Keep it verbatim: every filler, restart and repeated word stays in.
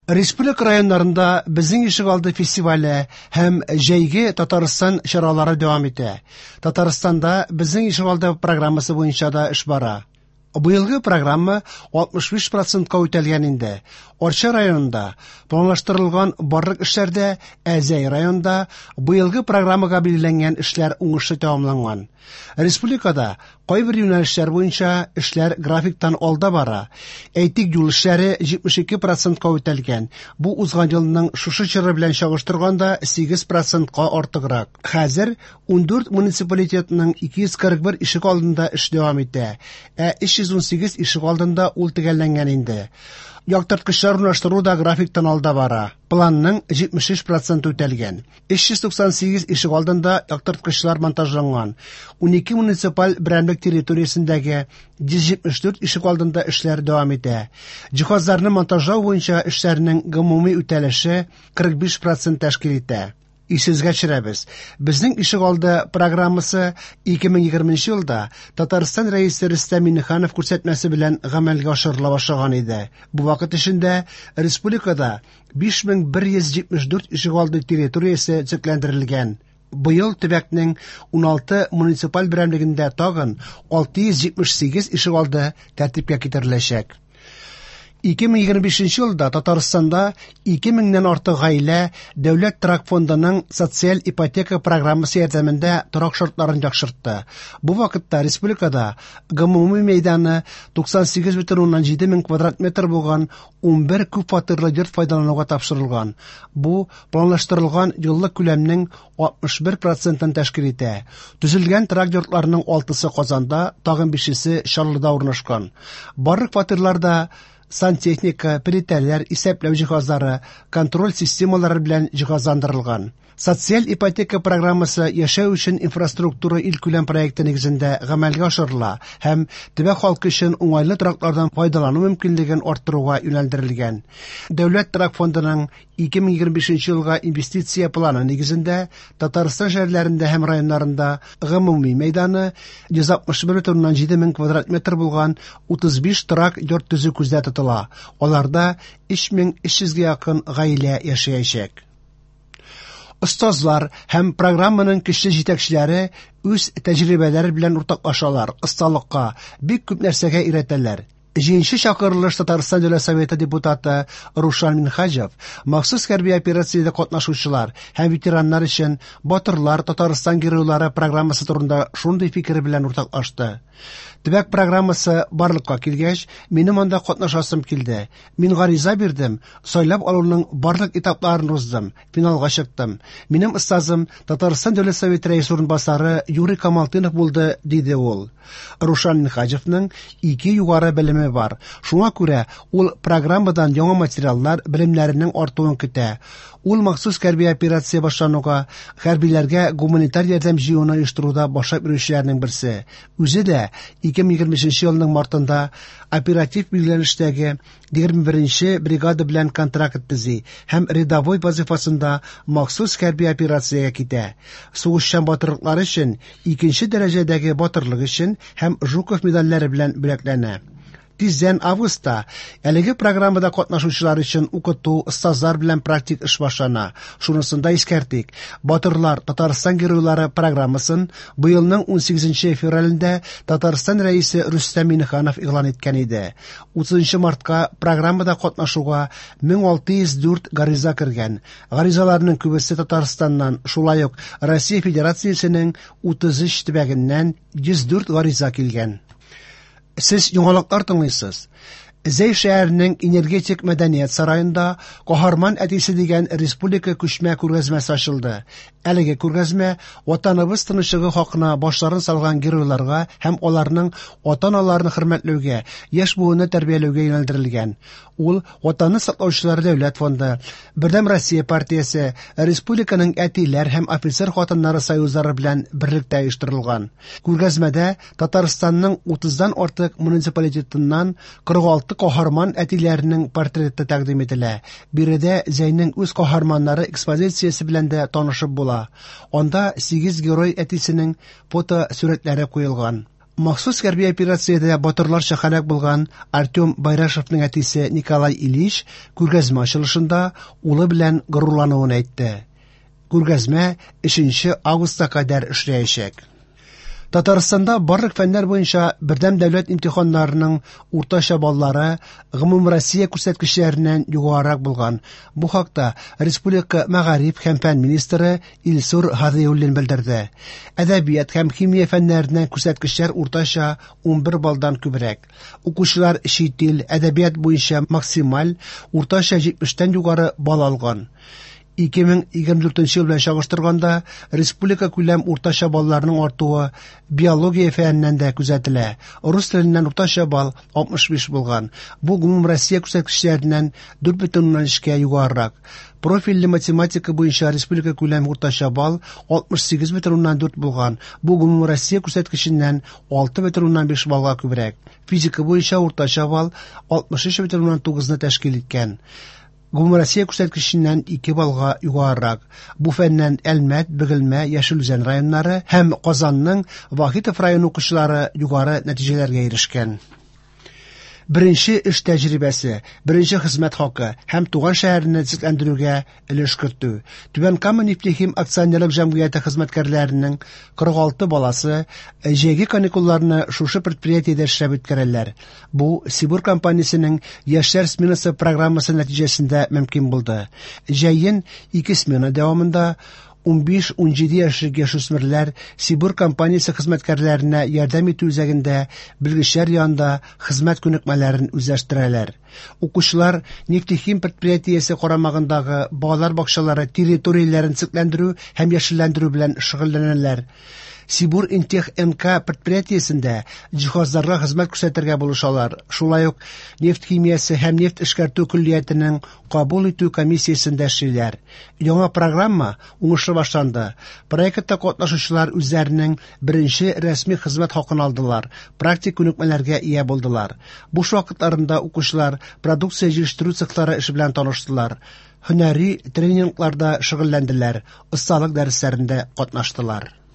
Республика районнарында «Безнең ишегалды» фестивале һәм «Җәйге Татарстан» чаралары дәвам итә. Татарстанда «Безнең ишегалды» программасы буенча да эш бара. Быелгы программа алтмыш биш процентка үтәлгән инде. Арча районында планлаштырылган барлык эшләр дә, ә Зәй районында быелгы программага билгеләнгән эшләр уңышлы тәмамланган. Республикада кайбер юнәлешләр буенча эшләр графиктан алда бара. Әйтик, юл эшләре җитмеш ике процентка үтәлгән. Бу узган елның шушы чоры белән чагыштырганда сигез процентка артыграк. Хәзер ундүрт муниципалитетның ике йөз кырык бер ишек алдында эш дәвам итә, ә өч йөз унсигез ишек алдында ул төгәлләнгән инде. Яктырткычлар урнаштыру да графиктан алда бара. Планның җитмеш өч проценты үтәлгән. Өч йөз туксан сигез ишек алдында яктырткычлар монтажланган. Унике муниципаль берәмлек территориясендәге йөз җитмеш дүрт ишек алдында эшләр дәвам итә. Җиһазларны монтажлау буенча эшләрнең гомуми үтәлеше кырык биш процент тәшкил итә. Исегезгә төшерәбез. Безнең ишек алды программасы ике мең егерменче елда Татарстан Рәисе Рөстәм Миңнеханов күрсәтмәсе белән гамәлгә ашырыла башлаган иде. Бу вакыт эчендә республикада биш мең бер йөз җитмеш дүрт ишек алды территориясе төзекләндерелгән. Быел төбәкнең уналты муниципаль берәмлегендә тагын алты йөз җитмеш сигез ишек алды тәртипкә китереләчәк. Ике мең егерме бишенче елда Татарстанда ике меңнән артык гаилә Дәүләт торак фондының социаль ипотека программасы ярдәмендә торак шартларын яхшыртты. Бу вакытта республикада гомуми мәйданы туксан сигез бөтен уннан җиде мең квадрат метр булган унбер күп фатирлы йорт файдалануга тапшырылган. Бу планлаштырылган еллык күләмнең алтмыш бер процентын тәшкил итә. Төзелгән торак йортларның алтысы Казанда, тагын бишесе Чаллыда урнашкан. Барлык фатирларда сантехника, плитәләр, исәпләү җиһазлары, контроль системалары белән җиһазландырылган. Социаль ипотека программасы яшәү өчен инфраструктура илкүләм проекты нигезендә гамәлгә ашырыла һәм төбәк халкы өчен уңайлы тораклардан файдалану мөмкинлеген арттыруга юнәлдерелгән. Дәүләт торак фондының ике мең егерме бишенче елга инвестиция планы нигезендә Татарстан шәһәрләрендә һәм районнарында гомуми мәйданы йөз алтмыш бер бөтен уннан җиде мең квадрат метр булган утыз биш торак йорт төзү күздә тотыла. Аларда өч мең өч йөзгә якын гаилә яшәячәк. Остазлар һәм программаның көчле җитәкчеләре үз тәҗрибәләре белән уртаклашалар, осталыкка, бик күп нәрсәгә өйрәтәләр. Җиденче чакырылыш Татарстан Дәүләт Советы депутаты Рушан Минһаҗев махсус хәрби операциядә катнашучылар һәм ветераннар өчен Батырлар Татарстан геройлары программасы турында шундый фикере белән уртаклашты. Төбәк программасы барлыкка килгәч, минем анда катнашасым килде. Мин гариза бирдем, сайлап алуның барлык этапларын уздым, финалга чыктым. Минем остазым Татарстан Дәүләт Советы рәисе урынбасары Юрий Камалтынов булды, диде ул. Рушан Минһаҗевның ике югары белеме бар. Шуңа күрә ул программадан яңа материаллар, белемнәренең артуын көтә. Ул махсус хәрби операция башлануга хәрбиләргә гуманитар ярдәм җыюны оештыруда башлап йөрүчеләрнең берсе. Үзе дә ике мең егерме өченче елның мартында оператив билгеләнештәге егерме беренче бригада белән контракт төзи һәм рядовой вазифасында махсус хәрби операциягә китә. Сугышчан батырлыклары өчен икенче дәрәҗәдәге батырлык өчен һәм Жуков медальләре белән бүләкләнә. Тиздән августта әлеге программада катнашучылар өчен укыту, остазлар белән практик эш башлана. Шунысын да искәртик. Батырлар Татарстан геройлары программасын быелның унсигезенче февралендә Татарстан рәисе Рөстәм Миңнеханов игълан иткән иде. Утызынчы мартка программада катнашуга мең алты йөз дүрт гариза кергән. Гаризаларның күбесе Татарстаннан, шулай ук Россия Федерациясенең утыз өч төбәгеннән йөз дүрт гариза килгән. Сез яңалыклар тыңлыйсыз. Зәй шәһәренең энергетик мәдәният сараенда Каһарман әтисе дигән республика күчмә күргәзмәсе ачылды. Әлеге күргәзмә Ватаныбыз тынычлыгы хакына башларын салган геройларга һәм аларның ата-аналарын хөрмәтләүгә, яшь буынны тәрбияләүгә юнәлдерелгән. Ул Ватанны саклаучылар дәүләт фонды, Бердәм Россия партиясе, республиканың әтиләр һәм офицер хатыннары союзлары белән берлектә оештырылган. Күргәзмәдә Татарстанның утыздан артык муниципалитетыннан кырык алты каһарман әтиләренең портреты тәкъдим ителә. Биредә Зәйнең үз каһарманнары экспозициясе белән дә танышып була. Анда сигез герой әтисенең фотосурәтләре куелган. Махсус хәрби операциядә батырларча һәлак булган Артем Байрашевның әтисе Николай Ильич күргәзмә ачылышында улы белән горурлануын әйтте. Күргәзмә өченче августка кадәр эшләячәк. Татарстанда барлык фәннәр буенча бердәм дәүләт имтиханнарының уртача баллары гомумроссия күрсәткечләреннән югарырак булган. Бу хакта республика мәгариф һәм фән министры Илсур Һадиуллин белдерде. Әдәбият һәм химия фәннәреннән күрсәткечләр уртача ун бер баллдан күбрәк. Укучылар чит ил әдәбият буенча максималь уртача җитмештән югары балл алган. ике мең егерме дүртенче ел белән чагыштырганда республика күләм уртача балларының артуы биология фәненнән дә күзәтелә. Рус теленнән уртача балл алтмыш биш булган. Бу гомумроссия күрсәткечләреннән дүрт бөтен уннан өчкә югарырак. Профильле математика буенча республика күләм уртача балл алтмыш сигез бөтен уннан дүрт булган. Бу гомумроссия күрсәткеченнән алты бөтен уннан биш баллга күбрәк. Физика буенча уртача балл алтмыш өч бөтен уннан тугызны тәшкил иткән. Гомумроссия күрсәткеченнән ике баллга югарырак. Бу фәннән Әлмәт, Бөгелмә, Яшел Үзән районнары һәм Казанның Вахитов районы укучылары югары нәтиҗәләргә ирешкән. Беренче эш тәҗрибәсе, беренче хезмәт хакы һәм туган шәһәрне төзекләндерүгә өлеш кертү. Түбән Кама нефтехим акционерлык җәмгыяте хезмәткәрләренең кырык алты баласы җәйге каникулларны шушы предприятиедә эшләп үткәрәләр. Бу Сибур компаниясенең яшьләр сменасы программасы нәтиҗәсендә мөмкин булды. Җәен ике смена дәвамында ун биш-ун җиде яшьлек яшүсмерләр Сибур компаниясе хезмәткәрләренә ярдәм итү үзәгендә белгечләр янында хезмәт күнекмәләрен үзләштерәләр. Укучылар нефтехим предприятиесе карамагындагы балалар бакчалары территорияләрен төзекләндерү һәм яшелләндерү белән шөгыльләнәләр. Сибур Интех Н К предприятиесендә җиһазларга хезмәт күрсәтергә булышалар. Шулай ук нефть химиясе һәм нефть эшкәртү көллиятенең кабул итү комиссиясендә эшлиләр. Яңа программа уңышлы башланды. Проектта катнашучылар үзләренең беренче рәсми хезмәт хакын алдылар, практик күнекмәләргә ия булдылар. Буш вакытларында укучылар продукция җитештерү цехлары эше белән таныштылар, һөнәри тренингларда шөгыльләнделәр, осталык дәресләрендә катнаштылар.